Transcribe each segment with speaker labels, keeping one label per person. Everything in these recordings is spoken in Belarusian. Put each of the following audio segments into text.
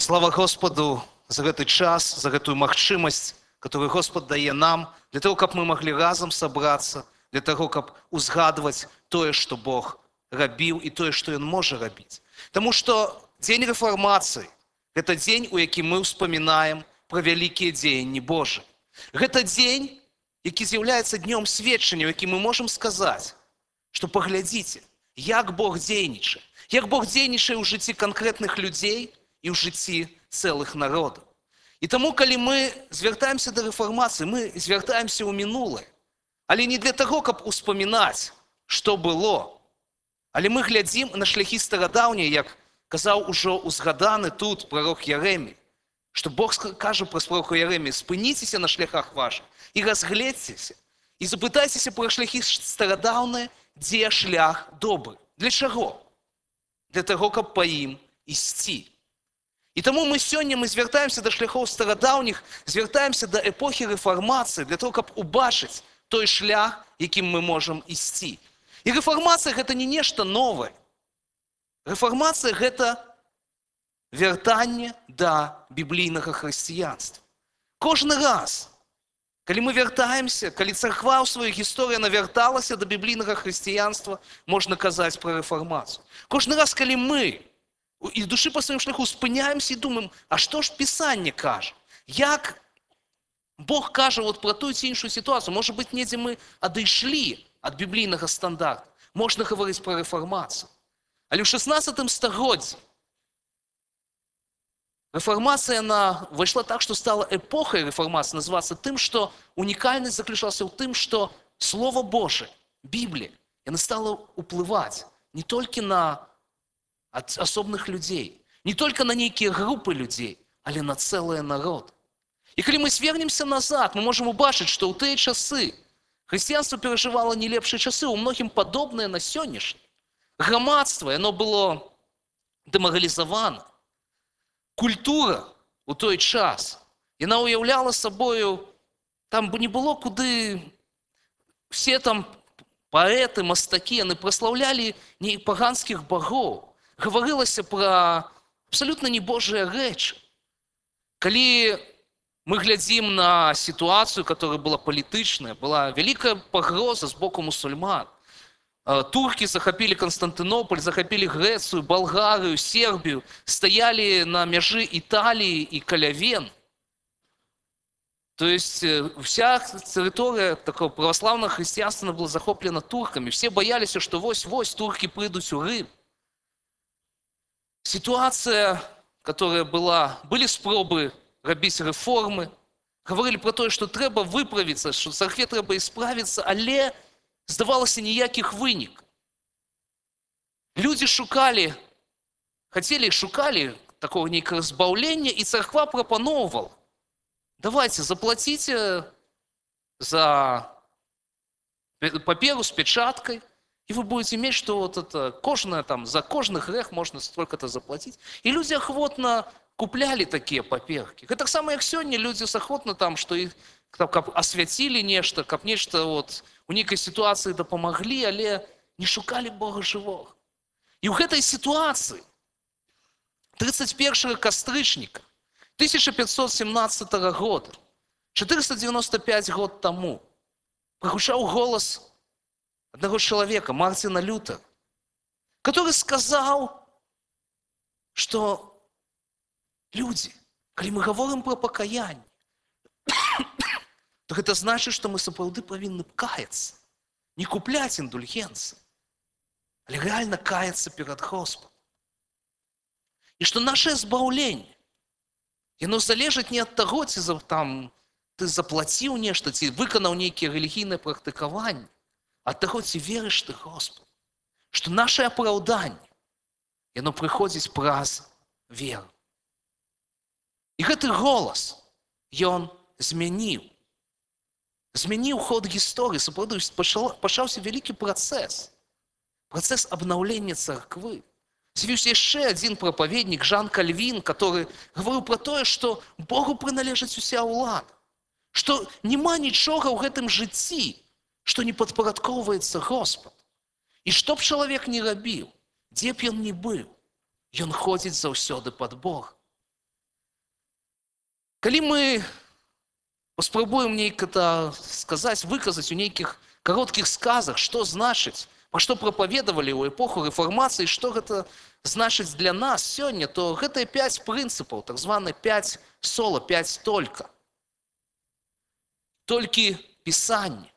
Speaker 1: Слава Господу за гэты час, за гэтую магчымасць, которую Господ дае нам, для того, каб мы маглі разам сабрацца, для того, каб узгадваць тое, што Бог рабіў і тое, што Ён можа рабіць. Таму што дзень рэфармацыі – гэта дзень, у якім мы ўспамінаем пра вялікія дзеянні Божыя. Гэта дзень, які з'яўляецца днём сведчання, у якім мы можам сказаць, што паглядзіце, як Бог дзейнічае, як Бог дзейнічае ў жыцці канкрэтных людзей і ў жыцці цэлых народаў. І таму, калі мы звяртаемся да рэфармацыі, мы звяртаемся ў мінулае, але не для таго, каб успамінаць, што было, але мы глядзім на шляхі старадаўнія, як казаў ужо узгаданы тут прарок Яремія, што Бог кажа праз пророка Яремія: спыніцеся на шляхах вашых і разгледзьцеся, і запытайцеся пра шляхі старадаўныя, дзе шлях добры. Для чаго? Для таго, каб па ім ісці. І таму сёння мы звяртаемся да шляхоў старадаўніх, звяртаемся да эпохі рэфармацыі, для того, каб убачыць той шлях, якім мы можам ісці. І рэфармацыя – гэта не нешта новае. Рэфармацыя – гэта вяртанне да біблійнага хрысціянства. Кожны раз, калі мы вяртаемся, калі царква ў сваёй гісторыі навярталася да біблійнага хрысціянства, можна казаць пра рэфармацыю. Кожны раз, калі мы і душы па сваім шляху спыняемся і думаем, а што ж Пісанне кажа? Як Бог кажа пра тую ці іншую сітуацыю? Можа быць, недзе мы адышлі ад біблійнага стандарта. Можна гаварыць пра рэфармацыю. Але ў 16 стагоддзі рэфармацыя выйшла так, што стала эпохай рэфармацыі называцца тым, што унікальнасць заключалася ў тым, што Слова Божае, Біблія, яна стала ўплываць не толькі на асобных людзей, не толькі на нейкія групы людзей, але на цэлыя народы. І калі мы звернемся назад, мы можам убачыць, што ў тыя часы хрысціянства перажывала не лепшыя часы, у многім падобныя на сённяшні. Грамадства, яно было дэмаралізавана. Культура у той час, яна уяўляла сабою, там не было куды, все там паэты, мастакі, яны праслаўлялі не паганскіх багоў. Гаварылася пра абсалютна небожыя рэчы. Калі мы глядзім на сітуацыю, которая была палітычная, была вялікая пагроза з боку мусульман. Туркі захапілі Канстантынополь, захапілі Грэцыю, Балгарыю, Сербію, стаялі на мяжы Італіі і каля Вен. То есть вся тэрыторыя такого праваслаўнага хрысціянства была захоплена туркамі. Все бояліся, што вось-вось туркі прыйдуць у Рым. Ситуация, которая была, были спробы рабіць рэформы, говорили про тое, што трэба выправіцца, што царкве трэба ісправіцца, але здавалася ніякіх вынікаў. Людзі шукалі такого нейкага збаўлення, і царква прапаноўвала: давайте, заплаціце за паперу з печаткай, и вы будете иметь, что за кожны грэх можно столько-то заплатить. И люди охотно купляли такие паперки. Это так само, як сёння люди охотно что их освятили нешта, каб нешта у нейкай ситуации дапамаглі, але не шукали Бога живого. И ў гэтай ситуации 31 кастрычніка 1517 года, 495 год тому, прагучаў голос одного человека, Мартина Лютера, который сказал, что люди, калі мы говорим про покаяние, то это значит, что мы сапраўды павінны каяться, не купляць индульгенции, але реально каяться перед Господом. И что наше збаўленне, яно залежыць не от того, ці ты заплаціў нешта, ці выканаў нейкія рэлігійныя практыкаванні, ад таго, ці верыш ты Господу, што наше апраўданне, яно прыходзіць праз веру. І гэты голас, ён змяніў ход гісторыі, сапраўды пачаўся вялікі працэс абнаўлення царквы. З'явіўся яшчэ адзін прапаведнік, Жан Кальвін, который гаварыў пра тое, што Богу прыналежыць уся ўлада, што няма нічога ў гэтым жыцці, што не падпарадкоўваецца Господ. І што б чалавек не рабіў, дзе б ён не быў, ён ходзіць заўсёды пад Бога. Калі мы паспрабуем нейк это сказаць, выказаць у нейкіх кароткіх сказах, што значыць, пра што прапаведавалі ў эпоху рэфармацыі, што гэта значыць для нас сёння, то гэта 5 прынцыпаў, так званы 5 сола, 5 только. Толькі Пісанне,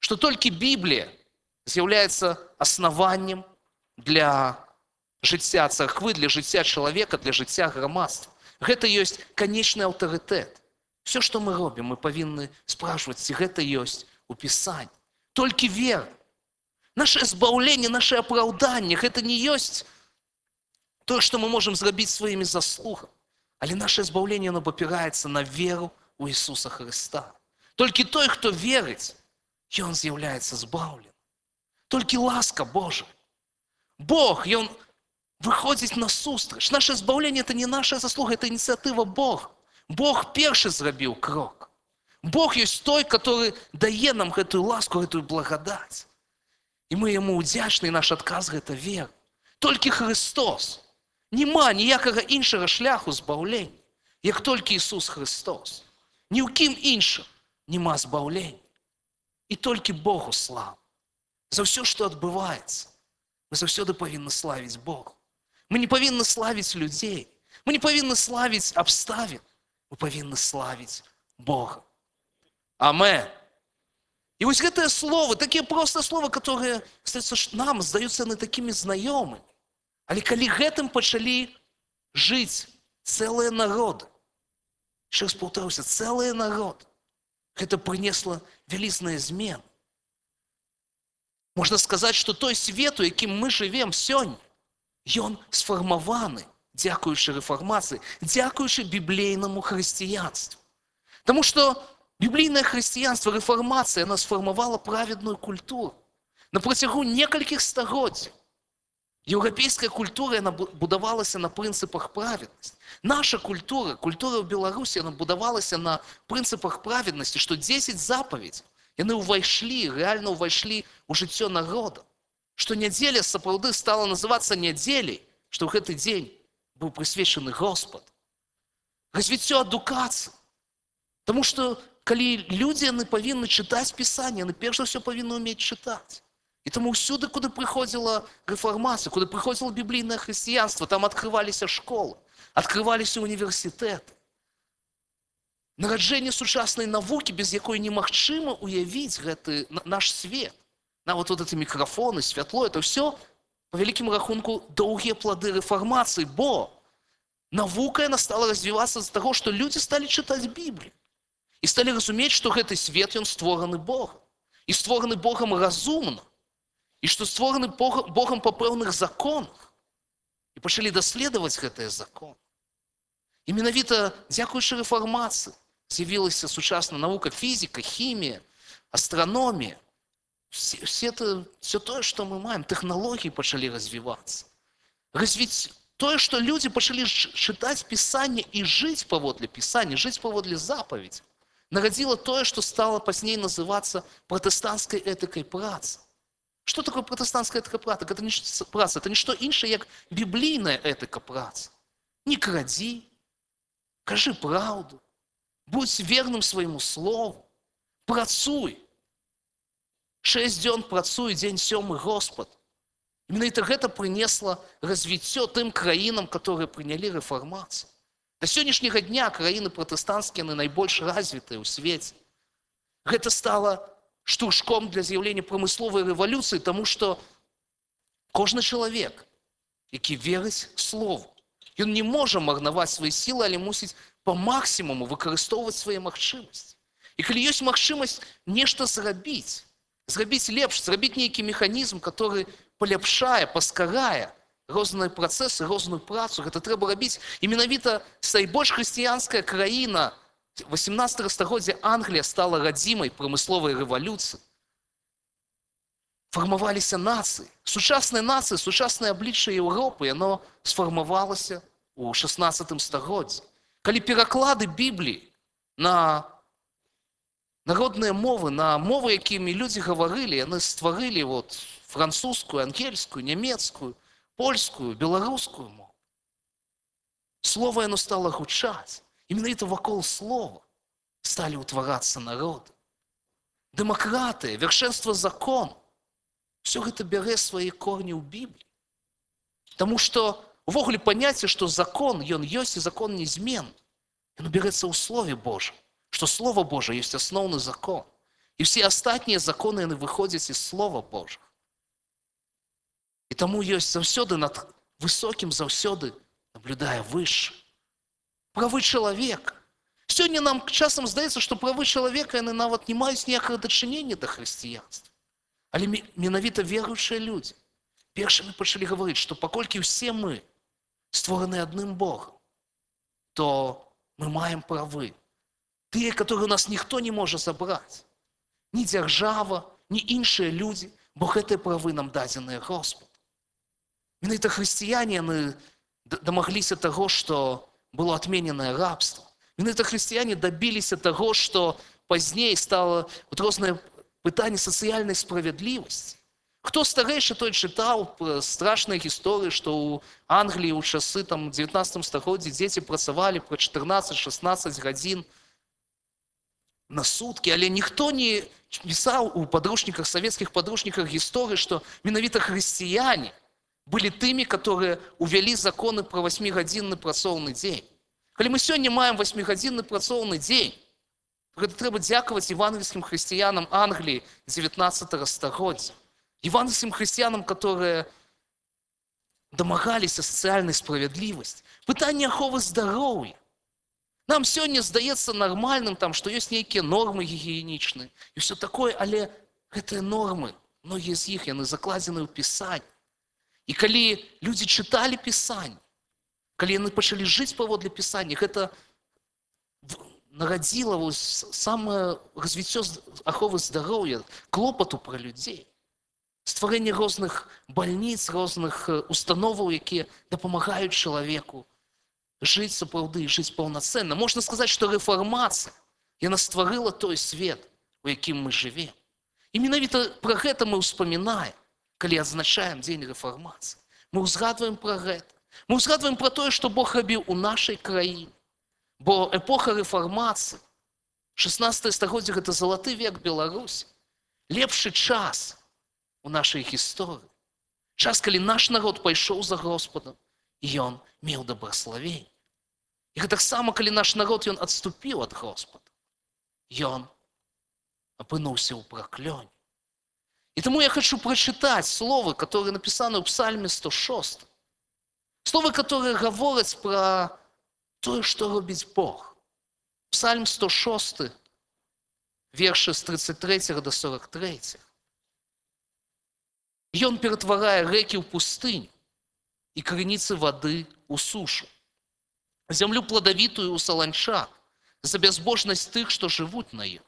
Speaker 1: што толькі Біблія з'яўляецца аснаваннем для жыцця царквы, для жыцця чалавека, для жыцця грамадства. Гэта ёсць канечны аўтарытэт. Все, што мы робім, мы павінны спрашваць, ці гэта ёсць у Пісанні. Толькі вера. Наше збаўленне, наше апраўданне, гэта не ёсць тое, што мы можам зрабіць сваімі заслугамі. Але наше збаўленне, оно папіраецца на веру ў Ісуса Хрыста. Толькі той, хто верыць, ён з'яўляецца збаўленым. Толькі ласка Божая. Бог, ён выходзіць насустрач. Наше збаўленне – это не наша заслуга, это ініцыятыва Бога. Бог першы зрабіў крок. Бог ёсць той, который дае нам гэтую ласку, гэтую благадаць. І мы яму ўдзячны, і наш адказ – гэта вера. Толькі Христос. Нема ніякага іншага шляху збаўлення, як толькі Ісус Христос. Ні ў кім іншым нема збаўлення. І толькі Богу слава. За ўсё, што адбываецца, мы заўсёды павінны славіць Бога. Мы не павінны славіць людзей. Мы не павінны славіць абставін. Мы павінны славіць Бога. Амен. І вось гэтыя словы, такія простыя словы, которые, нам здаюцца яны такімі знаёмымі. Але калі гэтым пачалі жыць цэлыя народы, ще раз паўтаруся, цэлыя народы, гэта прынесла вялізныя змены. Можна сказаць, што той свет, у якім мы жывем сёння, ён сфармаваны, дзякуючы рэфармацыі, дзякуючы біблейнаму хрысціянству. Таму што біблійнае хрысціянства, рэфармацыя, яна сфармавала праведную культуру. На працягу некалькіх стагоддзяў еўрапейская культура, яна будавалася на прынцыпах праведнасці. Наша культура, культура ў Беларусі, яна будавалася на прынцыпах праведнасці, што 10 запаведзяў, яны рэальна ўвайшлі ў жыццё народа. Што нядзеля сапраўды стала называцца нядзеляй, што ў гэты дзень быў прысвечаны Господ. Развіццё адукацыі. Таму што калі людзі, яны павінны чытаць Пісанне, яны перш за ўсё павінны ўмець чытаць. І таму ўсюды, куды прыходзіла рэфармацыя, куды прыходзіла біблійнае хрысціянства, там адкрываліся школы, адкрываліся універсітэты. Нараджэнне сучаснай навукі, без якой немагчыма уявіць гэты наш свет. Нават вот эти мікрафоны, святло, это ўсё, по вялікім рахунку, доўгія плады рэфармацыі, бо навука яна стала развівацца з таго, што людзі сталі чытаць Біблію. І сталі разумець, што гэты свет, ён створаны Богам. І створаны Богам разумна. І што створаны Богам па пэўных законах. І пачалі даследаваць гэтыя законы. І менавіта дзякуючы рэфармацыі з'явілася сучасная навука, фізіка, хімія, астраномія. Все тое, што мы маем, тэхналогіі пачалі развівацца. Развіць тое, што людзі пачалі чытаць Пісанне і жыць паводле Пісання, жыць паводле запаведзяў, нарадзіла тое, што стала пазней называцца пратэстанцкай этыкай працы. Што такое пратэстанцкая этыка працы? Это не што іншае, як біблійная этыка працы. Не крадзі, кажы праўду, будь верным свайму слову, працуй. 6 дзён працуй, дзень 7 Господ. Менавіта гэта прынесла развіццё тым краінам, которые прынялі рэфармацыю. Да сённяшняга дня краіны пратэстанцкія найбольш развітыя ў свеце. Гэта стала штуршком для з'яўлення прамысловай рэвалюцыі, таму што кожны чалавек, які верыць слову, ён не можа марнаваць свае сілы, але мусіць па максімуму выкарыстоўваць свае магчымасці. І калі ёсць магчымасць нешта зрабіць лепш, зрабіць нейкі механізм, который паляпшае, паскарае розныя працэсы, розную працу, гэта трэба рабіць. І менавіта найбольш хрысціянская краіна 18 стагоддзя Англія стала радзімай прамысловай рэвалюцыі. Фармаваліся нацыі. Сучасныя нацыі, сучаснае аблічча Еўропы, яно сфармавалася ў 16 стагоддзі. Калі пераклады Бібліі на народныя мовы, на мовы, якімі людзі гаварылі, яны стварылі французскую, ангельскую, нямецкую, польскую, беларускую мову. Слова яно стала гучаць. І менавіта вакол слова сталі ўтварацца народы. Дэмакратыя, вяршэнства закону, все гэта бярэ свае корні ў Бібліі. Таму што увогуле паняцце, што закон, ён ёсць і закон незменны, ён бярэцца ў Слове Божым, што Слово Божае ёсць асноўны закон. І ўсе астатнія законы, яны выходзяць з Слова Божага. І таму ёсць заўсёды над высокім, заўсёды наблюдае выше. Правы чалавека. Сёння нам часам здаецца, што правы чалавека, яны нават не маюць ніякага дачынення да хрысціянства. Але менавіта веруючыя людзі першымі пачалі гаварыць, што паколькі ўсе мы створаны адным Богам, то мы маем правы. Тыя, которые у нас ніхто не можа забраць. Ні дзяржава, ні іншыя людзі, бо гэтыя правы нам дадзеныя Господ. Менавіта хрысціяне, яны дамагліся таго, што было адмененае рабства. Менавіта хрысціяне дабіліся таго, што пазней стала рознае пытанне сацыяльнай справядлівасці. Хто старэйшы, той чытаў страшныя гісторыі, што ў Англіі ў часы 19 стагоддзі дзеці працавалі па 14-16 гадзін на суткі, але ніхто не пісаў у падручніках, савецкіх падручніках гісторыі, што менавіта хрысціяне былі тымі, которые увялі законы пра 8-гадзінны працоўны дзень. Калі мы сёння маем 8-гадзінны працоўны дзень, гэта трэба дзякаваць евангельскім хрысціянам Англіі 19 стагоддзя. Евангельскім хрысціянам, которые дамагаліся сацыяльнай справядлівасці. Пытанне аховы здароўя. Нам сёння здаецца нармальным, што ёсць нейкія нормы гігіенічныя і ўсё такое, але гэтыя нормы, многія з іх, яны закладзены ў Пісанні. І калі людзі чыталі Пісанне, калі яны пачалі жыць паводле Пісання, гэта нарадзіла самае развіццё аховы здароўя, клопату пра людзей. Стварэнне розных бальніц, розных установаў, якія дапамагаюць чалавеку жыць сапраўды, жыць паўнацэнна. Можна сказаць, што рэфармацыя, яна стварыла той свет, у якім мы жывем. І менавіта пра гэта мы ўспамінаем, калі адзначаем дзень рэфармацыі. Мы ўзгадваем пра гэта. Мы ўзгадваем пра тое, што Бог рабіў у нашай краіне. Бо эпоха рэфармацыі, 16 стагоддзе, гэта залаты век Беларусі. Лепшы час у нашай гісторыі. Час, калі наш народ пайшоў за Господам, і ён меў дабраславенне. І гэтаксама, калі наш народ, ён адступіў ад Господа, ён апынуўся ў праклёне. І таму я хочу прачытаць словы, которые напісаны ў Псальме 106. Словы, которые гавораць пра тое, што робіць Бог. Псальм 106, вершы з 33 до 43. Ён ператварае рэкі ў пустыню і крыніцы вады ў сушу. Зямлю пладавітую ў саланчак за бязбожнасць тых, што жывуць на ёй.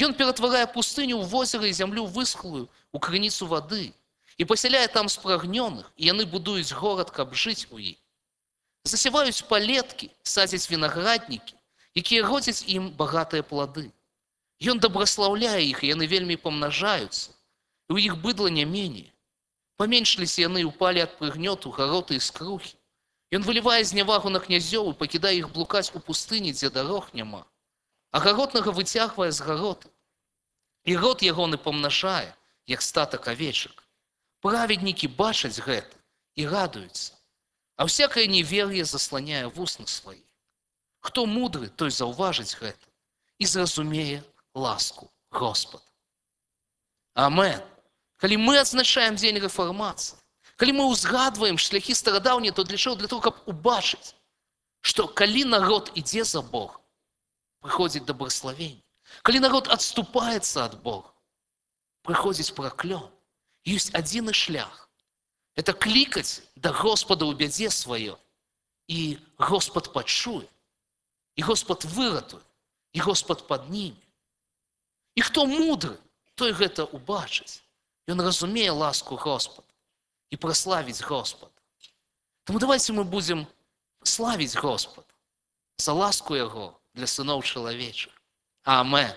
Speaker 1: Ён ператварае пустыню ў возера і зямлю высхлую ў крыніцу вады і пасяляе там спрагнёных, і яны будуюць горад, каб жыць у ім. Засяваюць палеткі, садзяць вінаграднікі, якія родзяць ім багатыя плады. Ён дабраслаўляе іх, і яны вельмі памнажаюцца, і ў іх быдла не меней. Паменшыліся яны і ўпалі ад прыгнёту, гароты і скрухі. Ён вылівае знявагу на князёў і пакідае іх блукаць у пустыні, дзе дарог няма. А гаротнага выцягвае з гароты. І род ягоны памнажае, як статак авечак. Праведнікі бачаць гэта і радуюцца, а всякае невер'е засланяе вусны свае. Хто мудры, той заўважыць гэта і зразумее ласку Господа. Амен. Калі мы адзначаем дзень рэфармацыі, калі мы ўзгадваем шляхі старадаўнія, то для чаго? Для того, каб убачыць, што калі народ ідзе за Богом, прыходзіць дабраславенне. Калі народ адступаецца ад Бога, прыходзіць праклён. Ёсць адзіны шлях. Это клікаць да Господа ў бядзе сваёй. І Господ пачуе. І Господ выратуе. І Господ падніме. І хто мудры, той гэта убачыць. Ён разумее ласку Господа і праславіць Господа. Таму давайте мы будзем славіць Господа за ласку Яго для сыноў чалавечых. Амен.